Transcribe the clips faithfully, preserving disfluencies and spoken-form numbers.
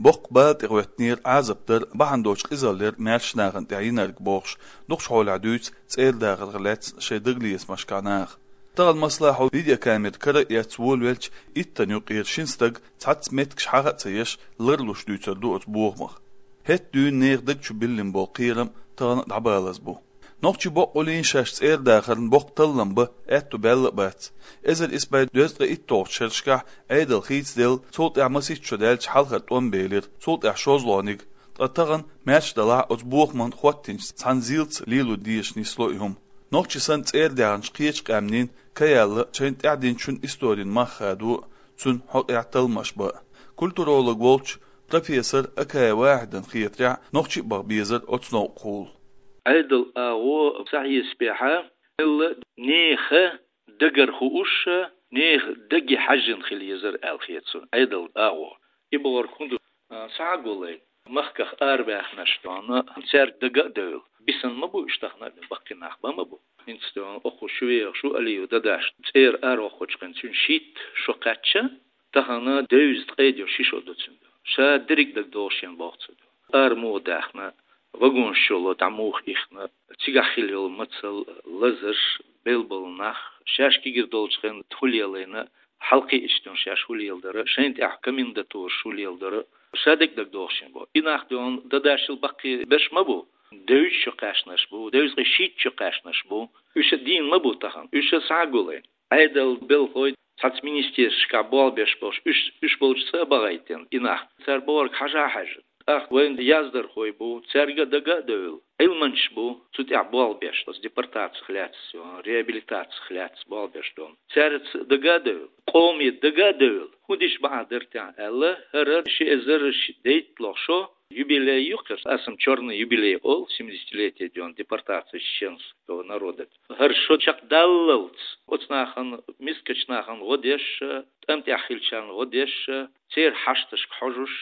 Боккха бала тӀе гӀоьттинера Ӏазап дар, бахьана долчу къизалла яра маьрша нахана тӀехь йинарг бохуш, дукхачу хьолехь дуьйцу цӀера дахарх лаьцна шайн дагалецамашкахь наха. Тахана, масала, хьо видеокамера кара а эцна волавелча, иттанна юккъера шина стага цхьацца меттигаш хьаха а ца еш, ларлуш дуьйцур ду оцу бохамах. ХӀетахь дуьйна нехан даг чу биллина болу кхерам тахана а дӀабалаза бу. Нохчийн боккъалла шаьш цӀера дахарна боккха таллам бан аьтту баьлла а бац. Эзар исс бӀе дезткъе итталгӀачу шерашкахь Ӏедал хийцаделла, цул тӀаьхьа масийтта шо даьлча хьалхара тӀом белира, цул тӀаьхьа шозлагӀниг. Ткъа тахана, маьрша делахь, оцу бохаман хӀоттийначу цхьана зилца лело дезаш нисло и хӀума. Нохчий санна цӀера даьхначу кхечу къаьмнийн каяьлла, шайна тӀаьхьа динчун историн мах хадо а, цуьнан хьокъехь талламаш бан а. Культуролог волчу профессор Акаев Вахьидан хетарехь, нохчий а баха безара оцу новкъахула. Ӏедал агӀо схьахьесапехь, хӀинца нехан дагара хууш, нехан даге хьаьжжина хила езара аьлла хета суна Ӏедал агӀо. И бохург хӀун ду? А, схьагуллай, махках арабаьхнарш дуьйна, цаьрга дага а девлла. Бисина ма бу уьш тахана а, баккхий нах бан ма бу. ХӀинца дуьйна, оха шу вехаш ву Алиев Дадаш, цӀера аравоккхучу хенахь цуьнан шийтта шо кхаьчча, тахана девза ткъе ши шо ду цуьнан. Ша дерриг а дагадогӀу шена боху цо. Ара муха даьхна, вагонаш чу дӀа муха ихна, цигахь хилла йолу мацалла, лазарш, белбала нах, шаьш кегийра долчу хенахь хӀун лелийна, хьалакхиъчу дуьйна шаьш хӀун леладара, шайна тӀехь комендатураш хӀун леладара, ша дерриг а дагадогӀу шена боху. И нах дуьйна Дадашил баккхий берш ма бу, девза шо кхаьчнарш бу, девза ткъе шийтта шо кхаьчнарш бу. Уьш а дийна ма бу тахана, уьш а схьагуллай. Ӏедал белхалой, цхьацца министерствашкахь болх беш болуш, уьш, уьш болчу цӀа а бахийтина и нах. Цара бохург хьажа а хьаьжна. ТӀаккха вайн яздархой бу, цаьрга а дага а девлла. Ӏилманчаш бу, цу тӀехь болх беш, оцу депортацих лаьцна, реабилитацих лаьцна болх беш долу. Цаьрца дага а девлла, къоме дага а девлла, хӀун дича бахьана дара те аьлла, хӀара ши эзар ши дейтталгӀа шо, юбилей ю-кх хӀара, асам чёрный юбилей олу, семидесятилетие дуьйна депортации чеченского народа. ХӀара шо чекхдаллалц, оцу нахана, мискачу нахана гӀо деш, тӀам тӀехь хиллачарна гӀо деш, церан хьашташка хьожуш,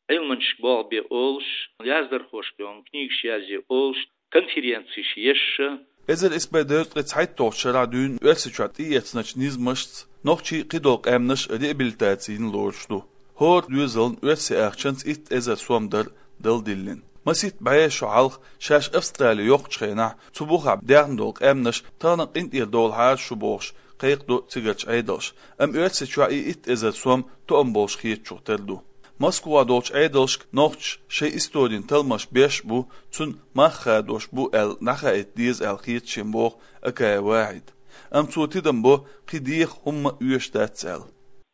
Ӏилманчашка болх бе олуш, яздархошка дуьйна книгаш язъе олуш, конференцеш еш. Эзар исс бӀе дезткъе цхьайтталгӀачу шарахь дуьйна Оьрсийчохь тӀеэцначу низамашца нохчий, кхидолу къаьмнаш реабилитаци йина лоруш ду. ХӀора доьзална оьрсийн ахчанца итт эзар сом дара дала диллина. Масийтта бӀе шо хьалха шаьш Австрали йоккхучу хенахь, цу бухахь даьхна долу къаьмнаш тахана а къинтӀера довлахьара шу бохуш, кхайкхадо цигарчу Ӏедалша, амма Оьрсийчохь и итт эзар сом тоам болуш хетачух тера ду. Москвахь долчу Ӏедалшка нохчаша шайн историн талламаш беш а бу, цуьнан мах хадош бу аьлла дӀахаийта деза аьлла хета шена боху Акаев Вахьида. Амма цо тидам бо, кхин деха хӀумма а оьшуш дац аьлла.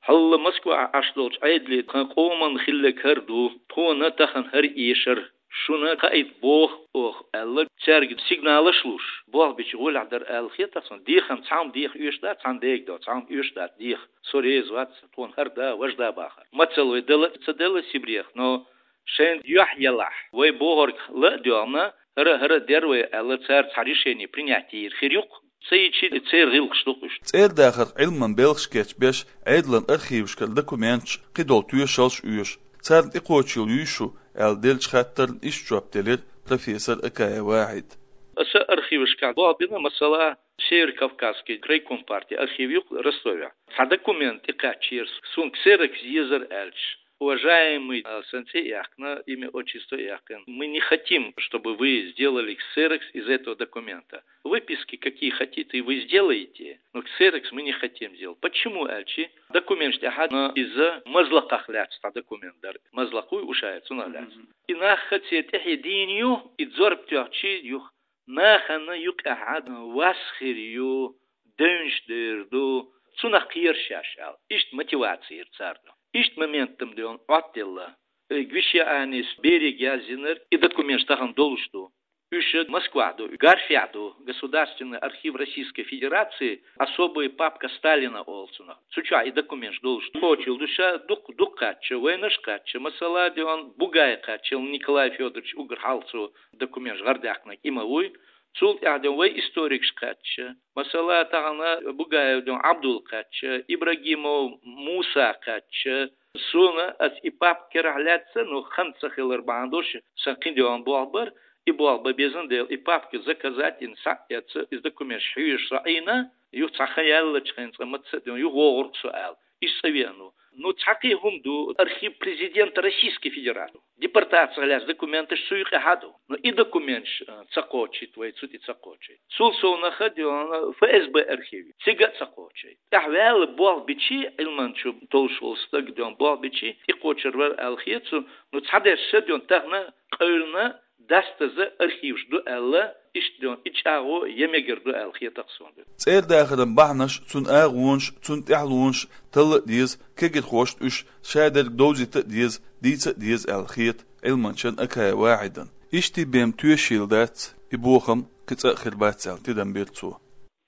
Хьалла Москвахь Ӏаш долчу Ӏедале тхан къоман хилларг хӀара ду, тхуна тахана хӀара эшар, шуна хаийта боху оха аьлла, цаьрга сигналаш а луш, болх бича гӀолехь дара аьлла хета суна. Дехам цхьамма деха оьшуш дац, цхьамма дега до, цхьамма оьшуш дац деха. Со реза вац, тхуна хӀара да, важа да бахар. Мацалла вай дала а ца делла Сибрех, но шайна юьхь елахь, вай бохург ла а доьгӀна, хӀара, хӀара дер вай аьлла, цара цхьа решение принять йийр хир ю-кх. Ца йичи, церан гӀиллакхаш ду-кх уьш. ЦӀера дахарх Ӏилманан белхаш кечбеш, Ӏедалан архивашкара документаш, кхидолу тоьшаллаш оьшу. Царна тӀекхочийла юй шу, аьлла деллачу хаттарна иштта жоп делира профессор Акаев Вахьида. Аса архивашкахь болх бина, масала, Северо-Кавказский крайком партии архив ю-кх Ростовехь. Цхьа документ тӀекхаьчнера, суна ксерокс езар аьлча. Уважаемый, а, сан цӀе а яьккхина, имя, отчество а яьккхина. Мы не хотим, чтобы вы сделали ксерокс из этого документа. Выписки какие хотите, вы сделаете, но ксерокс мы не хотим делать. Почему аьлча, документаш тӀехь иза Мазлакхах лаьцна цхьа документ дара. Мазлакх вуй, Ушаев, цунах лаьцна. Мгм. И нах церан тӀаьхье дийна ю, и зорба тоьхча юха. Нахана юкъахь вас хир ю, девнаш дер ду, цунах кхера шаьш аьлла. Иштта мотиваци йира царна. Иштта моментам дуьйна Ӏоттаелла. Э, Гвишианис берега яздинарг и документаш тахана долуш ду. Уьш Москвахь ду, Гарфехь ду, Государственный архив Российской Федерации, особая папка Сталина олу цунах. Цу чохь и документаш долуш ду. Кхочийла ду ша, дукха, дукха кхаьчча, вайнаш а кхаьчча, масала, дуьйна Бугай кхаьчча, Николай Фёдорович уггар хьалха цо документаш гӀардаьккхинарг и ма вуй. Цул тӀаьхьа дуьйна вай историкаш кхаьчча, масала, тахана Бугаев дуьйна Ӏабдул кхаьчча, Ибрагимов Муса кхаьчча, суна аса и папка карахь лаьцна, но хан ца хилар бахьана долуш, сан кхин дуьйна болх бара, и болх бан безна дела, и папка заказать йина схьа а эцна, иза документаш хьоьжуш со Ӏийна, юха цхьа хан яьллачу хенахь цкъа маца а дуьйна, юха вогӀург со аьлла. Иштта цӀа веана ву. Ну, цхьаккха хӀума ду, архив президента Российской Федерации. Депортацех лаьцна документаш цу юкъе хьаду. Ну, и документаш, а, ца кхочийт вай, цу тӀе ца кхочийт. Цул совнаха дена ФСБ архив, цига а ца кхочийт. ТӀехваьлла болх бичи, Ӏилманчо толуш волу стаг дена болх бичи, тӀекхочур вара аьлла хета цу, ну, цхьадерш ша дена тахана къевлина, дастаза архиваш ду аьлла, иштта дена и чӀагӀо я мегар ду аьлла хета суна. ЦӀера дахаран бахьанаш, цунна агӀонаш, цунна тӀаьхьалонаш талла а деза, кегирхошна уьш шадерг довзийта а деза, дийца а деза аьлла хета Ӏилманчан Акаев Вахьидан. Иштта бен тоьшийла дац, и бохам кхин цкъа а хир бац аьлла тидам бира цо.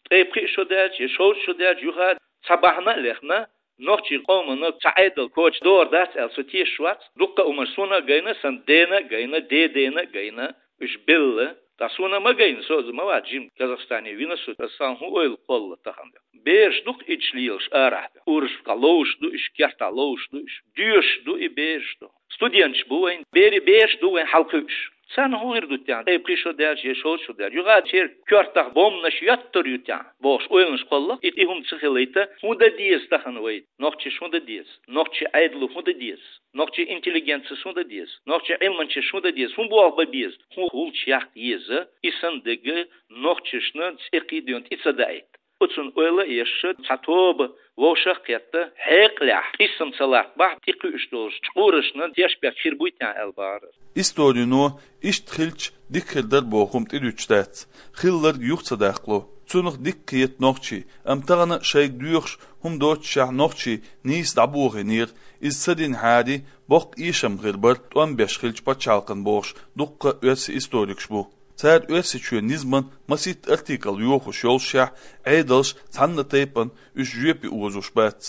Ткъе пхи шо даьлча, я шовзткъа шо даьлча юха цхьа бахьана а лехна, нохчийн къомана цхьа Ӏедал коча догӀур дац аьлла со тешаш вац. Дуккха а хӀуманаш суна а гайна, сан дена а гайна, дедена а гайна, уьш белла. Ткъа суна ма гайна, со а ма вац жима, Казахстане вина со, аса сан хӀун ойла кхолла тахана. Бераш ду-кх ича лелаш арахь, урушкахь ловзуш ду уьш, кертахь ловзуш ду уьш, доьшуш ду и бераш ду. Студенташ бу вайн, бери бераш ду вайн хьалакхуьуш. Царна хӀун хир ду тӀехь, ткъе пхи шо даьлча, я шовзткъа шо даьлча, юха церан коьртах бомбанаш йоттур ю тӀехь бохуш ойланаш кхолла-кх, и, и хӀума ца хилийта, хӀун дан деза тахана вай? Нохчаша хӀун дан деза? Нохчийн Ӏедало хӀун дан деза? Нохчийн интеллигенцис хӀун дан деза? Нохчийн Ӏилманчаша хӀун дан деза? ХӀун болх бан беза? ХӀун гӀулч яккха еза? И санна дерг нохчашна цӀе кхийдина тӀе ца даийта. Оцунна ойла а еш, цхьа тоба вовшах а кхетта, хьекъалехь, къийсам ца латтабахь, тӀекхуьуш долчу чкъурашна тешнабехк хир буй тӀехь аьлла бахара. Историно иштта хилча дика хир дара боху хӀума тӀедуьтуш дац, хилларг юха ца даккхало. Цунах дика кхета нохчий, амма тахана шайга доьхуш хӀума доццушехь нохчий нийса дӀабохийнера, иза ца динахьара боккха эшам хир бара, тӀом беш хилча пачхьалкхана бохуш дуккха а оьрсийн историкаш бу. Цара Оьрсийчоьнан низаман масийтта артикл йохош йолушехь, Ӏедалш цхьанна тайпана уьш жоьпе озош бац.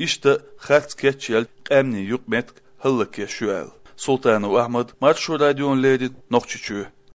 Иштта харц кечъелла къаьмнийн юкъаметтиг хӀаллакъеш ю аьлла. Султанов Ахьмад, Маршо радиона леррина, Нохчийчоь.